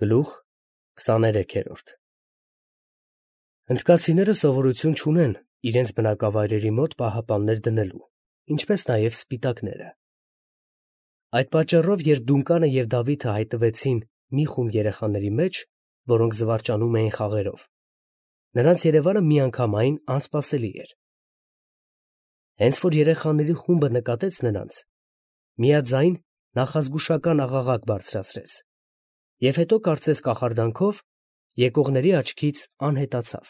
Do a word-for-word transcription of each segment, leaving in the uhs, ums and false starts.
Գլուխ քսաներեքերորդ Հնդկացիները սովորություն չունեն իրենց բնակավայրերի մոտ պահապաններ դնելու, ինչպես նաև սպիտակները։ Այդ պատճառով, երբ Դունկանը և Դավիթը հայտնվեցին մի խումբ երեխաների մեջ, որոնք զվարճանում էին խաղերով, նրանց երևանը միանգամայն անսպասելի էր։ Հենց որ երեխաների խումբը նկատեց նրանց, միաձայն նախազգուշական աղաղակ բարձրացրեց և հետո կարծես կախարդանքով եկողների աչքից անհետացավ։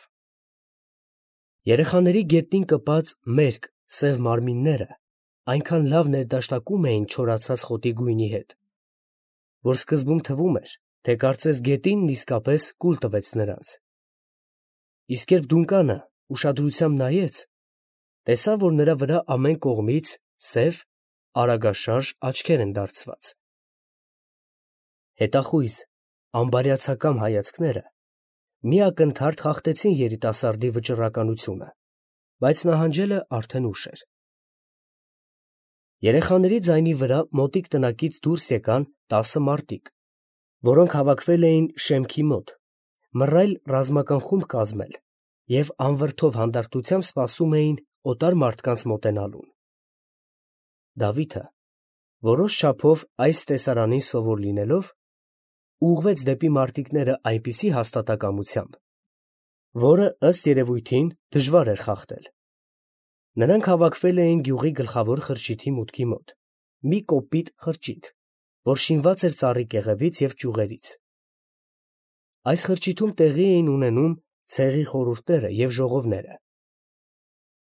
Երեխաների գետնին կպած մերկ սև մարմինները այնքան լավ ներդաշնակում էին չորացած խոտի գույնի հետ, որ սկզբում թվում էր, թե կարծես գետինն իսկապես կուլ տվեց նրանց։ Իսկ երբ Դունկանը ուշադրությամբ նայեց, տեսավ, որ նրա վրա ամեն կողմից սև, արագաշարժ աչքեր են դարձված։ Հետախույզ, անբարյացակամ հայացքները մի ակնթարթ խախտեցին երիտասարդի վճռականությունը, բայց նահանջելը արդեն ուշ էր։ Երեխաների ձայնի վրա մոտիկ տնակից դուրս եկան տասը մարդիկ, որոնք հավաքվել էին շեմքի մոտ, մռայլ ռազմական խումբ կազմել և անվրդով հանդարտությամբ սպասում էին օտար մարդկանց մոտենալուն։ Դավիթը, որոշ չափով այս տեսարանին սովոր լինելով, ուղղվեց դեպի մարտիկները այնպիսի հաստատակամությամբ, որը, ըստ երևույթին, դժվար էր խախտել։ Նրանք հավաքվել էին գյուղի գլխավոր խրճիթի մուտքի մոտ, մի կոպիտ խրճիթ, որ շինված էր ծառի կեղևից և ճյուղերից։ Այս խրճիթում տեղի էին ունենում ցեղի խորհուրդները և ժողովները։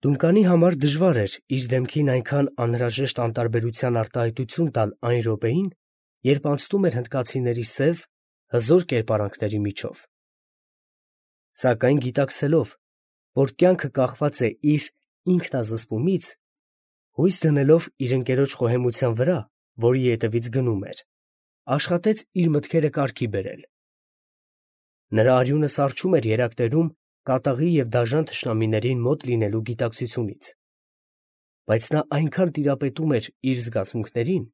Դունկանի համար դժվար էր իր դեմքին այնքան անհրաժեշտ անտարբերության արտահայտություն տալ այն րոպեին, երբ անցնում էր հնդկացիների սև, հզոր կերպարանքների միջով։ Սակայն գիտակցելով, որ կյանքը կախված է իր ինքնազսպումից, հույս դնելով իր ընկերոջ խոհեմության վրա, որի ետևից գնում էր, աշխատեց իր մտքերը կարգի բերել։ Նրա արյունը սառչում էր երակներում կատաղի և դաժան թշնամիներին մոտ լինելու գիտակցությունից, բայց նա այնքան տիրապետում էր իր զգացմունքներին,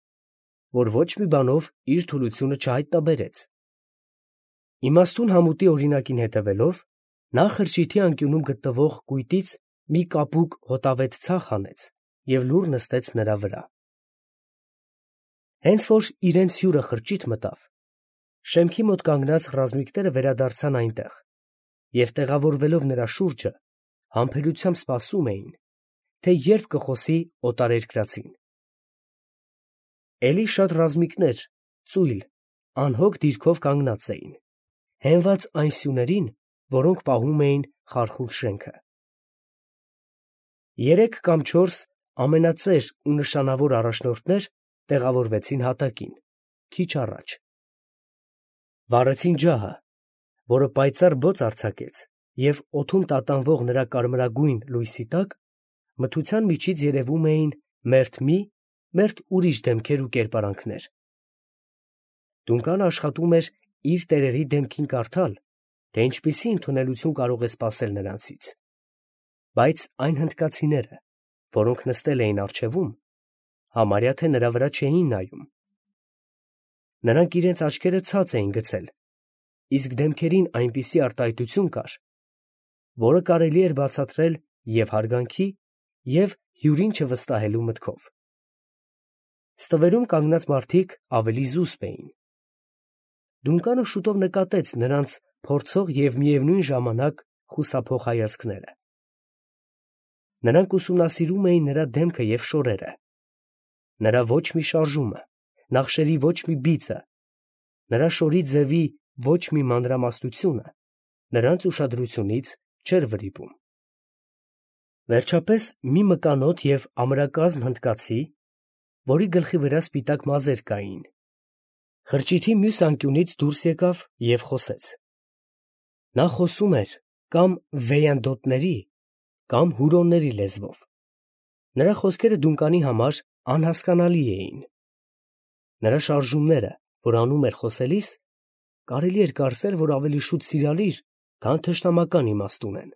որ ոչ մի բանով իր թուլությունը չհայտնաբերեց։ Իմաստուն համուտի օրինակին հետևելով, նա խրճիթի անկյունում գտնվող կույտից մի կապուկ հոտավետ ցախ հանեց և լուռ նստեց նրա վրա։ Հենց որ իրենց հյուրը խրճիթ մտավ, շեմքի մոտ կանգնած ռազմիկները վերադարձան այնտեղ և, տեղավորվելով նրա շուրջը, համբերությամբ սպասում էին, թե երբ կխոսի օտարերկրացին։ Էլի շատ ռազմիկներ ծույլ, անհոգ դիրքով կանգնած էին, հենված այն սյուներին, որոնք պահում էին խարխուլ շենքը։ Երեք կամ չորս ամենածեր ու նշանավոր առաջնորդներ տեղավորվեցին հատակին, քիչ առաջ։ Վառեցին ջահը, որը պայծառ բոծ արձակեց, և օդում տատանվող նրա կարմրագույն լույսի տակ մթության միջից երևում էին մերթ մի, մերթ ուրիշ դեմքեր ու կերպարանքներ։ Դունկանը աշխատում էր իր տերերի դեմքին կարդալ, թե ինչպիսի ընդունելություն կարող է սպասել նրանցից, բայց այն հնդկացիները, որոնք նստել էին առջևում, համարյա թե նրա վրա չէին նայում։ Նրանք իրենց աչքերը ցած էին գցել, իսկ դեմքերին այնպիսի արտահայտություն կար, որը կարելի էր բացատրել և՛ հարգանքի, և՛ հյուրին չվստահելու մտքով։ Ստվերում կանգնած մարդիկ ավելի զուսպ էին։ Դունկանը շուտով նկատեց նրանց փորձող և միևնույն ժամանակ խուսափող հայացքները։ Նրանք ուսումնասիրում էին նրա դեմքը և շորերը, նրա ոչ մի շարժումը, նախշերի ոչ մի բիծը, նրա շորի ձևի ոչ մի մանրամասնությունը նրանց ուշադրությունից չէր վրիպում։ Վերջապես մի մկանոտ և ամրակազմ հնդկացի, որի գլխի վրա սպիտակ մազեր կային, խրճիթի մյուս անկյունից դուրս եկավ և խոսեց։ Նա խոսում էր կամ վեյանդոտների, կամ հուրոնների լեզվով։ Նրա խոսքերը Դունկանի համար անհասկանալի էին։ Նրա շարժումները, որ անում էր խոսելիս, կարելի էր կարծել, որ ավելի շուտ սիրալիր, քան թշնամական իմաստ ունեն։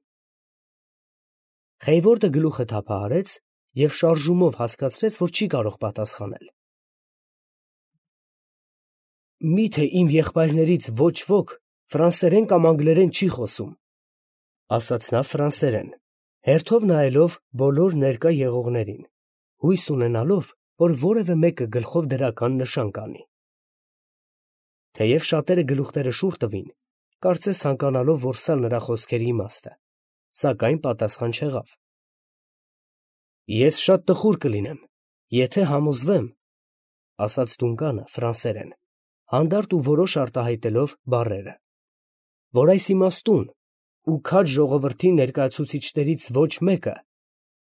Խեյվորդը գլուխը թափահարեց և շարժումով հասկացրեց, որ չի կարող պատասխանել։ Միթե իմ եղբայրներից ոչ ոք ֆրանսերեն կամ անգլերեն չի խոսում, ֊ ասաց նա ֆրանսերեն, հերթով նայելով բոլոր ներկա եղողներին, հույս ունենալով, որ որևէ մեկը գլխով դրական նշան կանի։ Թեև շատերը գլուխները շուռ տվին, կարծես ցանկանալով որսալ նրա խոսքերի իմաստը, սակայն պատասխան չեղավ։ Ես շատ տխուր կլինեմ, եթե համոզվեմ, ֊ ասաց Դունկանը ֆրանսերեն, հանդարտ ու որոշ արտահայտելով բառերը, որ այս իմաստուն ու քաջ ժողովրդի ներկայացուցիչներից ոչ մեկը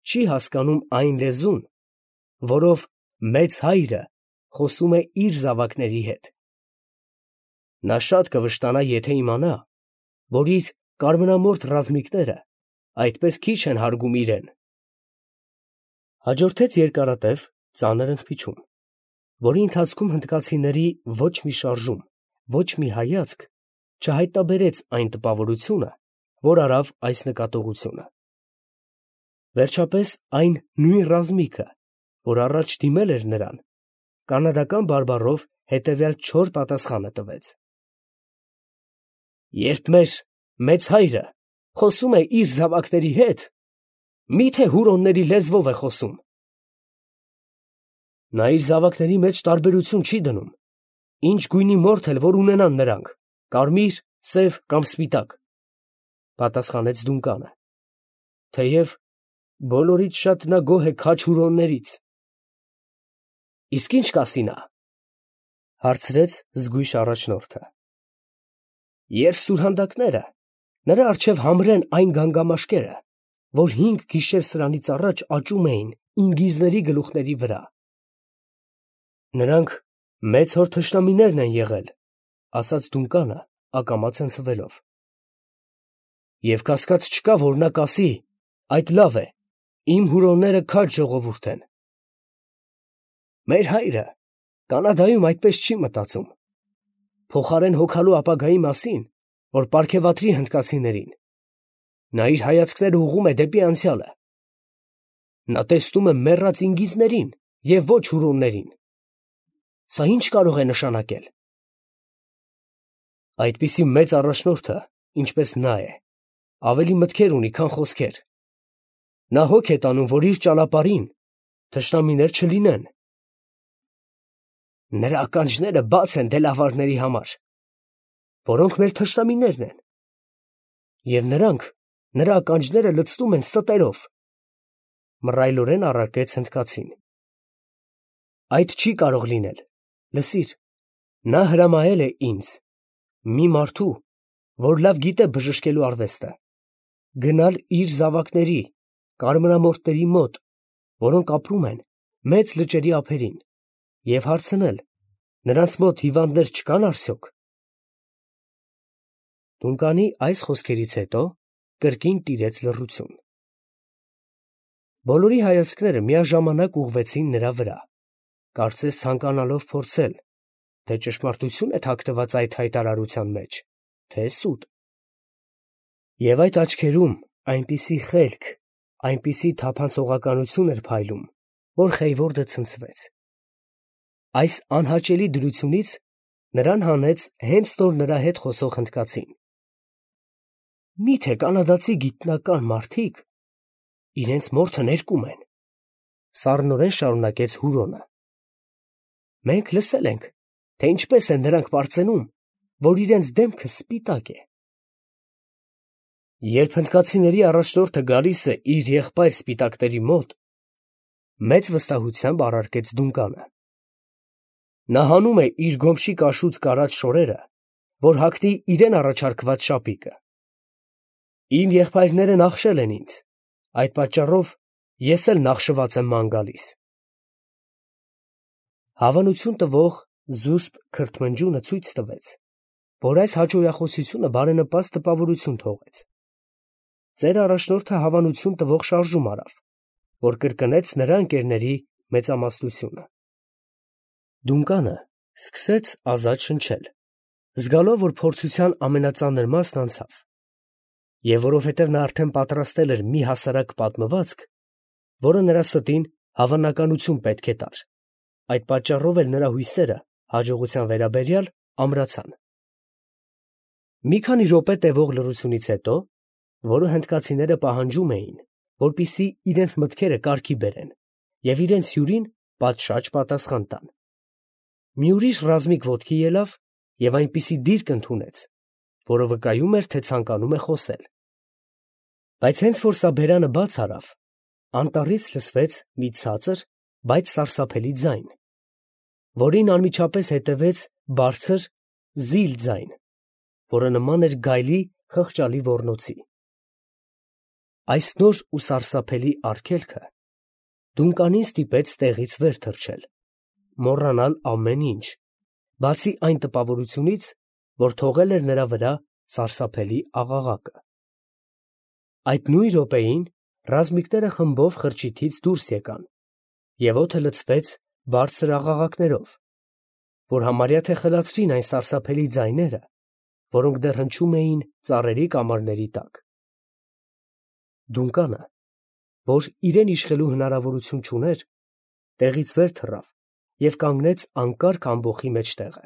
չի հասկանում այն լեզուն, որով մեծ հայրը խոսում է իր զավակների հետ։ Նա շատ կվշտանա, եթե իմանա, որ իր կարմրամորթ ռազմիկները այդպես քիչ են հարգում իրեն։ Հաջորդեց երկարատև, ծանր ընդմիջում, որի ընթացքում հնդկացիների ոչ մի շարժում, ոչ մի հայացք չհայտնաբերեց այն տպավորությունը, որ արավ այս նկատողությունը։ Վերջապես այն նույն ռազմիկը, որ առաջ դիմել էր նրան, կանադական բարբառով հետևյալ չոր պատասխանը տվեց. «Երբ մեր մեծ հայրը խոսում է իր զավակների հետ, մի՞թե հուրոնների լեզվով է խոսում»։ Նա իր զավակների մեջ տարբերություն չի դնում, ինչ գույնի մորթ էլ որ ունենան նրանք, կարմիր, սև կամ սպիտակ, ֊ պատասխանեց Դունկանը, թեև բոլորից շատ նա գոհ է քաջ հուրոններից։ ֊ Իսկ ի՞նչ կասի նա, ֊ հարցրեց զգույշ առաջնորդը։ ֊ Երբ սուրհանդակները նրա առջև համրեն այն գանգամաշկերը, որ հինգ գիշեր սրանից առաջ աճում էին ինգիզների գլուխների վրա։ Նրանք մեծ հոր թշնամիներն են եղել, ֊ ասաց Դունկանը ակամա ցնցվելով։ Եվ կասկած չկա, որ նա կասի. այդ լավ է, իմ հուրոնները քաջ ժողովուրդ են։ Մեր հայրը Կանադայում այդպես չի մտածում, փոխարեն հոգալու ապագայի մասին, որ պարգևատրի հնդկացիներին, նա իր հայացքները ուղղում է դեպի անցյալը։ Նա տեսնում է մեռած ինգիզներին և ոչ հուրոններին։ Սա ի՞նչ կարող է նշանակել։ Այդպիսի մեծ առաջնորդը, ինչպես նա է, ավելի մտքեր ունի, քան խոսքեր։ Նա հոգ է տանում, որ իր ճանապարհին թշնամիներ չլինեն։ Նրա ականջները բաց են դելավարների համար, որոնք մեր թշնամիներն են, և նրանք նրա ականջները լցնում են ստերով, ֊ մռայլորեն առարկեց հնդկացին։ Այդ չի կարող լինել, լսիր, նա հրամայել է ինձ, մի մարդու, որ լավ գիտե բժշկելու արվեստը, գնալ իր զավակների, կարմրամորթների մոտ, որոնք ապրում են մեծ լճերի ափերին, և հարցնել, նրանց մոտ հիվանդներ չկան արդյոք։ Դունկանի այս խոսքերից հետո կրկին տիրեց լռություն։ Բոլորի հայացքները միաժամանակ ուղղվեցին նրա վրա, կարծես ցանկանալով փորձել, թե ճշմարտություն է թաքնված այդ հայտարարության մեջ, թե սուտ։ Եվ այդ աչքերում այնպիսի խելք, այնպիսի թափանցողականություն էր փայլում, որ Խեյվորդը ցնցվեց։ Այս անհաճելի դրությունից նրան հանեց հենց նոր նրա հետ խոսող հնդկացին։ Մի՞թե կանադացի գիտնական մարդիկ իրենց մորթը ներկում են, ֊ սառնորեն շարունակեց հուրոնը։ Մենք լսել ենք, թե ինչպես են նրանք պարծենում, որ իրենց դեմքը սպիտակ է։ Երբ հնդկացիների առաջնորդը գալիս է իր եղբայր սպիտակների մոտ, մեծ վստահությամբ առարկեց Դունկանը, նա հանում է իր գոմշի կաշուց կարած շորերը, որ հագնի իրեն առաջարկված շապիկը։ Իմ եղբայրները նախշել են ինձ, այդ պատճառով ես էլ նախշված եմ ման գալիս։ Հավանություն տվող զուսպ քրթմնջյունը ցույց տվեց, որ այս հաճոյախոսությունը բարենպաստ տպավորություն թողեց։ Ծեր առաջնորդը հավանություն տվող շարժում արավ, որ կրկնեց նրա ընկերների մեծամասնությունը։ Դունկանը սկսեց ազատ շնչել, զգալով, որ փորձության ամենածանր մասն անցավ, և որովհետև նա արդեն պատրաստել էր մի հասարակ պատմվածք, որը նրա ստին հավանականություն պետք է տար, այդ պատճառով էլ նրա հույսերը հաջողության վերաբերյալ ամրացան։ Մի քանի րոպե տևող լռությունից հետո, որը հնդկացիները պահանջում էին, որպեսզի իրենց մտքերը կարգի բերեն և իրենց հյուրին պատշաճ պատասխան տան, մի ուրիշ ռազմիկ ոտքի ելավ և այնպիսի դիրք ընդունեց, որը վկայում էր, թե ցանկանում է խոսել։ Բայց հենց որ սա բերանը բաց արավ, անտառից լսվեց մի ցածր, բայց սարսափելի ձայն, որին անմիջապես հետևեց բարձր զիլ ձայն, որը նման էր գայլի խղճալի ոռնոցի։ Այս նոր ու սարսափելի արգելքը Դունկանին ստիպեց տեղից վեր թռչել, մոռանալ ամեն ինչ, բացի այն տպավորությունից, որ թողել էր նրա վրա սարսափելի աղաղակը։ Այդ նույն րոպեին ռազմիկները խմբով խրճիթից դուրս եկան, և օդը լցվեց բարձր աղաղակներով, որ համարյա թե խլացրին այն սարսափելի ձայները, որոնք դեռ հնչում էին ծառերի կամարների տակ։ Դունկանը, որ իրեն իշխելու հնարավորություն չուներ, տեղից վեր թռավ և կանգնեց անկարգ ամբոխի մեջտեղը։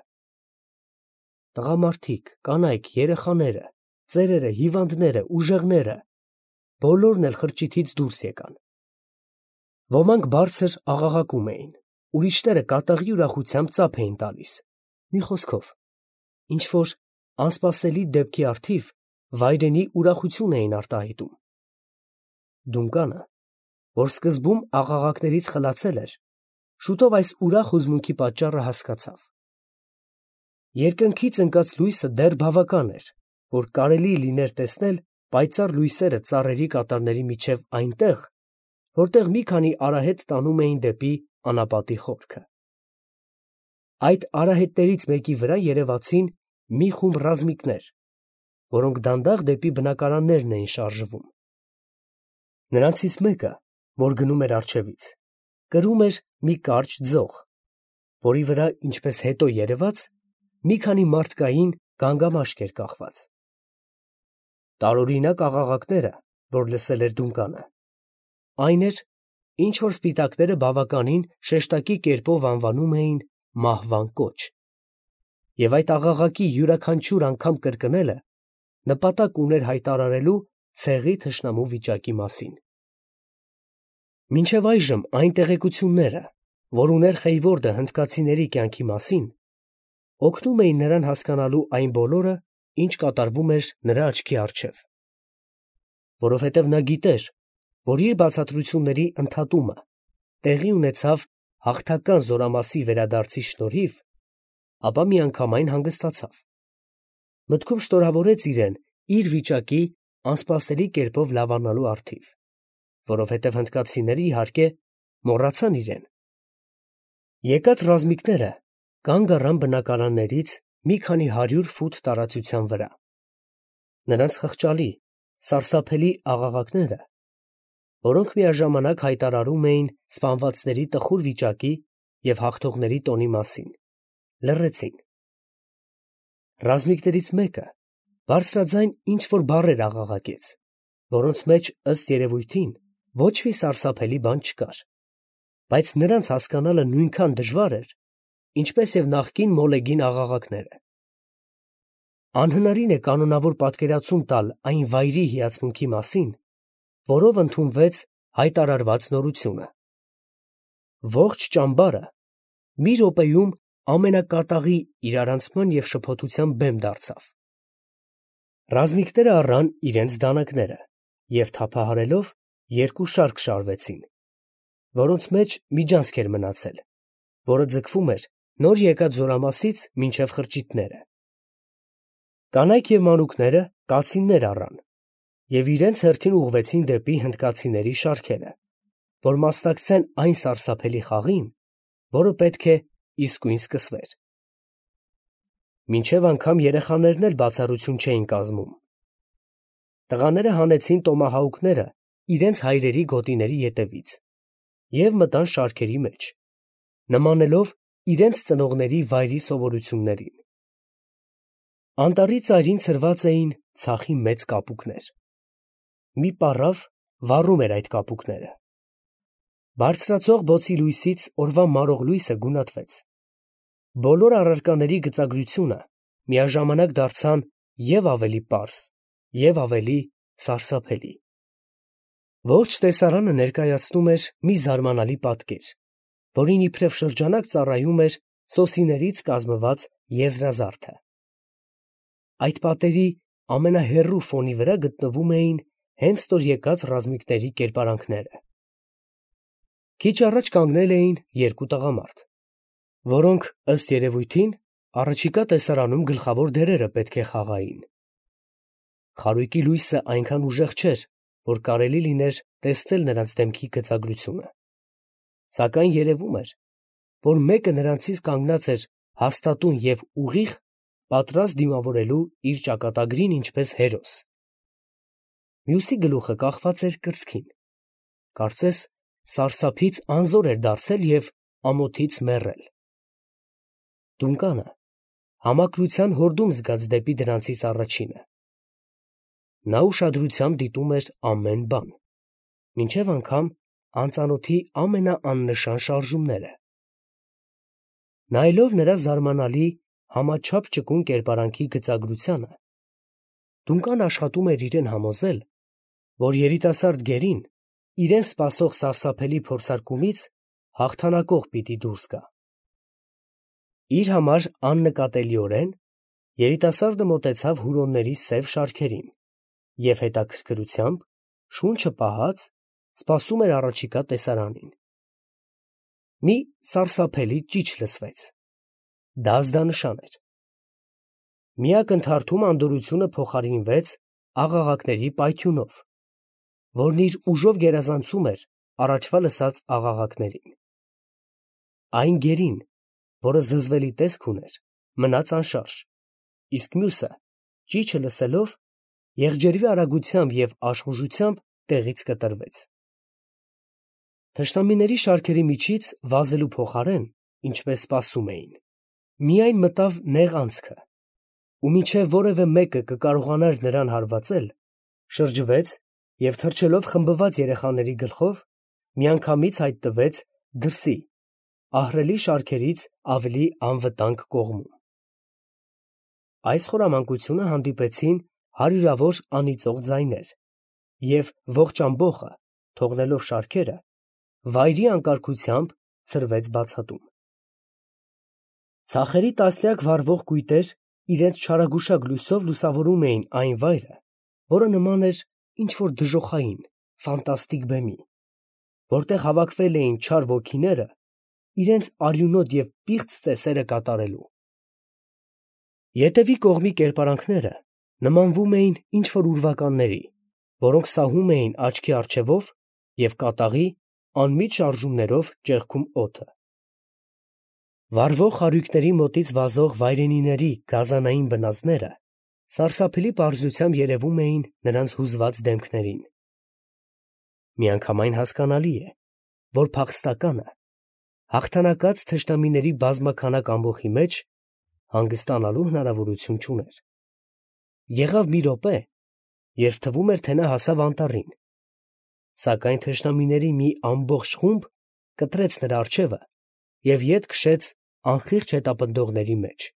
Տղամարդիկ, կանայք, երեխաները, ծերերը, հիվանդները, ուժեղները բոլորն էլ խրճիթից դուրս եկան։ Ոմանք բարձր աղաղակում էին, ուրիշները կատաղի ուրախությամբ ծափ էին տալիս, մի խոսքով, ինչ-որ անսպասելի դեպքի առթիվ վայրենի ուրախություն էին արտահայտում։ Դունկանը, որ սկզբում աղաղակներից խլացել էր, շուտով այս ուրախ հուզմունքի պատճառը հասկացավ։ Երկնքից ընկած լույսը դեռ բավական էր, որ կարելի լիներ տեսնել պայծառ լույսերը ծառերի կատարների միջև այնտեղ, որտեղ մի քանի արահետ տանում էին դեպի անապատի խորքը։ Այդ արահետներից մեկի վրա երևացին մի խումբ ռազմիկներ, որոնք դանդաղ դեպի բնակարաններն էին շարժվում։ Նրանցից մեկը, որ գնում էր առջևից, կրում էր մի կարճ ձող, որի վրա, ինչպես հետո երևաց, մի քանի մարդկային գանգամաշկ էր կախված։ Տարօրինակ աղաղակները, որ լսել էր Դունկանը, այն էր, ինչ որ սպիտակները բավականին շեշտակի կերպով անվանում էին մահվան կոչ, և այդ աղաղակի յուրաքանչյուր անգամ կրկնելը նպատակ ուներ հայտարարելու ցեղի թշնամու վիճակի մասին։ Մինչև այժմ այն տեղեկությունները, որ ուներ Խեյվորդը հնդկացիների կյանքի մասին, օգնում էին նրան հասկանալու այն բոլորը, ինչ կատարվում էր նրա աչքի առջև, որովհետև նա գիտեր, որ իր բացատրությունների ընդհատումը տեղի ունեցավ հաղթական զորամասի վերադարձի շնորհիվ, ապա միանգամայն հանգստացավ։ Մտքում շնորհավորեց իրեն իր վիճակի անսպասելի կերպով լավանալու առթիվ, որովհետև հնդկացիները, իհարկե, մոռացան իրեն։ Եկած ռազմիկները կանգ առան բնակարաններից մի քանի հարյուր ֆուտ տարածության վրա։ Նրանց խղճալի, սարսափելի աղաղակները, որոնք միաժամանակ հայտարարում էին սպանվածների տխուր վիճակի և հաղթողների տոնի մասին, լռեցին։ Ռազմիկներից մեկը բարձրաձայն ինչ-որ բառեր աղաղակեց, որոնց մեջ, ըստ երևույթին, ոչ մի սարսափելի բան չկար, բայց նրանց հասկանալը նույնքան դժվար էր, ինչպես և նախկին մոլեգին աղաղակները։ Անհնարին է կանոնավոր պատկերացում տալ այն վայրի հիացմունքի մասին, որով ընդունվեց հայտարարված նորությունը։ Ողջ ճամբարը մի րոպեում ամենակատաղի իրարանցման և շփոթության բեմ դարձավ։ Ռազմիկները առան իրենց դանակները և թափահարելով երկու շարք շարվեցին, որոնց մեջ միջանցք էր մնացել, որը ձգվում էր նոր եկած զորամասից մինչև խրճիթները։ Կանայք և մանուկները կացիններ առան և իրենց հերթին ուղղվեցին դեպի հնդկացիների շարքերը, որ մասնակցեն այն սարսափելի խաղին, որը պետք է իսկույն սկսվեր։ Մինչև անգամ երեխաներն էլ բացառություն չէին կազմում։ Տղաները հանեցին տոմահաուկները իրենց հայրերի գոտիների ետևից և մտան շարքերի մեջ, նմանելով իրենց ծնողների վայրի սովորություններին։ Անտառի ծայրին ցրված էին ցախի մեծ կապուկներ։ Մի պառավ վառում էր այդ կապուկները։ Բարձրացող բոցի լույսից օրվա մարող լույսը գունատվեց։ բոլոր առարկաների գծագրությունը միաժամանակ դարձան և ավելի պարզ, և ավելի սարսափելի։ Ողջ տեսարանը ներկայացնում էր մի զարմանալի պատկեր, որին իբրև շրջանակ ծառայում էր սոսիներից կազմված եզրազարդը։ Այդ պատերի ամենահեռու ֆոնի վրա գտնվում էին հենց ստոր եկած ռազմիկների կերպարանքները։ Քիչ առաջ կանգնել էին երկու տղամարդ, որոնք, ըստ երևույթին, առաջիկա տեսարանում գլխավոր դերերը պետք է խաղային։ Խարույկի լույսը այնքան ուժեղ չէր, որ կարելի լիներ տեսնել նրանց դեմքի գծագրությունը, սակայն երևում էր, որ մեկը նրանցից կանգնած էր հաստատուն և ուղիղ, պատրաստ դիմավորելու իր ճակատագրին ինչպես հերոս։ Մյուսի գլուխը կախված էր կրծքին, կարծես սարսափից անզոր էր դարձել և ամոթից մեռել։ Դունկանը համակրության հորդում զգաց դեպի դրանցից առաջինը։ Նա ուշադրությամբ դիտում էր ամեն բան, մինչև անգամ անծանոթի ամենաաննշան շարժումները։ Նայելով նրա զարմանալի համաչափ ճկուն կերպարանքի գծագրությանը, Դունկան աշխատում էր իրեն համոզել, որ երիտասարդ գերին իրեն սպասող սարսափելի փորձարկումից հաղթանակող պիտի դուրս գա։ Իր համար աննկատելիորեն երիտասարդը մոտեցավ հուրոնների սև շարքերին և հետաքրքրությամբ, շունչը պահած, սպասում էր առաջիկա տեսարանին։ Մի սարսափելի ճիչ լսվեց. դա ազդանշան էր։ Մի ակնթարթում անդորրությունը փոխարինվեց աղաղակների պայթյունով, որն իր ուժով գերազանցում էր առաջվա լսած աղաղակներին։ Այն գերին, որը զզվելի տեսք ուներ, մնաց անշարժ, իսկ մյուսը, ճիչը լսելով, եղջերվի արագությամբ և աշխուժությամբ տեղից կտրվեց։ Թշնամիների շարքերի միջից վազելու փոխարեն, ինչպես սպասում էին, միայն մտավ նեղ անցքը, ու մինչև որևէ մեկը կկարողանար նրան հարվածել, շրջվեց և թռչելով խմբված երեխաների գլխով, միանգամից հայտնվեց դրսի, ահռելի շարքերից ավելի անվտանգ կողմում։ Այս խորամանկությունը հանդիպեցին հարյուրավոր անիծող ձայներ, և ողջ ամբոխը, թողնելով շարքերը, վայրի անկարգությամբ ցրվեց բացատում։ Ցախերի տասնյակ վառվող կույտեր իրենց չարագուշակ լույսով լուսավորում էին այն վայրը, որը նման էր ինչ֊որ դժոխային, ֆանտաստիկ բեմի, որտեղ հավաքվել էին չար ոգիները իրենց արյունոտ և պիղծ ծեսերը կատարելու։ Ետևի կողմի կերպարանքները նմանվում էին ինչ֊որ ուրվականների, որոնք սահում էին աչքի առջևով և կատաղի անմիջ շարժումներով ճեղքում օդը։ Վառվող խարույկների մոտից վազող վայրենիների գազանային բնազդները սարսափելի պարզությամբ երևում էին նրանց հուզված դեմքներին։ Միանգամայն հասկանալի է, որ փախստականը հաղթանակած թշնամիների բազմաքանակ ամբոխի մեջ հանգստանալու հնարավորություն չուներ։ Եղավ մի րոպե, երբ թվում էր, թե նա հասավ անտառին, սակայն թշնամիների մի ամբողջ խումբ կտրեց նրա առջևը և ետ քշեց անխիղճ հետապնդողների մեջ։